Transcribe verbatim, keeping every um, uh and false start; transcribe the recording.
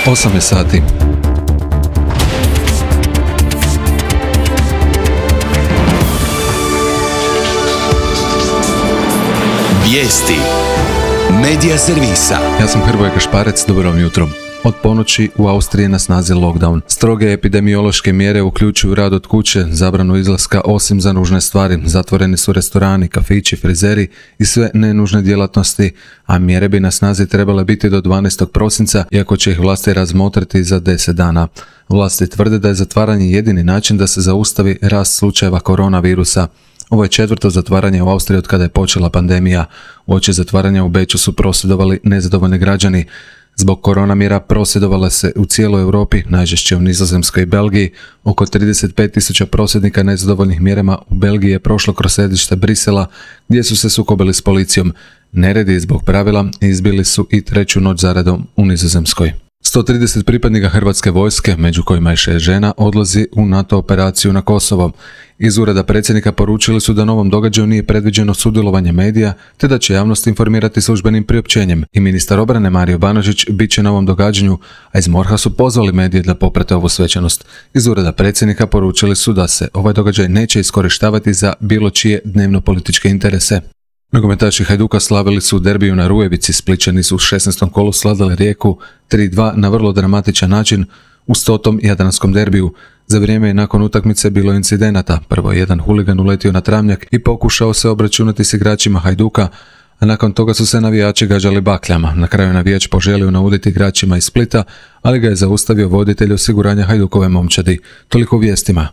osam je sati. Vijesti Medija servisa. Ja sam Hrvoje Kašparec, dobro vam jutro. Od ponoći u Austriji je na snazi lockdown. Stroge epidemiološke mjere uključuju rad od kuće, zabranu izlaska osim za nužne stvari, zatvoreni su restorani, kafići, frizeri i sve nenužne djelatnosti, a mjere bi na snazi trebale biti do dvanaestog prosinca, iako će ih vlasti razmotriti za deset dana. Vlasti tvrde da je zatvaranje jedini način da se zaustavi rast slučajeva koronavirusa. Ovo je četvrto zatvaranje u Austriji od kada je počela pandemija. Uoči zatvaranja u Beču su prosvjedovali nezadovoljni građani. Zbog korona mjera prosvjedovala se u cijeloj Europi, najžešće u Nizozemskoj i Belgiji. Oko trideset pet tisuća prosvjednika nezadovoljnih mjerama u Belgiji je prošlo kroz središte Brisela, gdje su se sukobili s policijom. Neredi zbog pravila izbili su i treću noć zaredom u Nizozemskoj. sto trideset pripadnika Hrvatske vojske, među kojima je šest žena, odlazi u NATO operaciju na Kosovo. Iz ureda predsjednika poručili su da novom događaju nije predviđeno sudjelovanje medija, te da će javnost informirati službenim priopćenjem. I ministar obrane Mario Banožić bit će na ovom događanju, a iz MORH-a su pozvali medije da poprate ovu svečanost. Iz ureda predsjednika poručili su da se ovaj događaj neće iskorištavati za bilo čije dnevno-političke interese. Nogometaši Hajduka slavili su u derbiju na Rujevici, Splićani su u šesnaestom kolu svladali Rijeku tri dva na vrlo dramatičan način u stotom jadranskom derbiju. Za vrijeme i nakon utakmice bilo incidenata. Prvo je jedan huligan uletio na travnjak i pokušao se obračunati s igračima Hajduka, a nakon toga su se navijači gađali bakljama. Na kraju navijač poželio nauditi igračima iz Splita, ali ga je zaustavio voditelj osiguranja Hajdukove momčadi. Toliko u vijestima.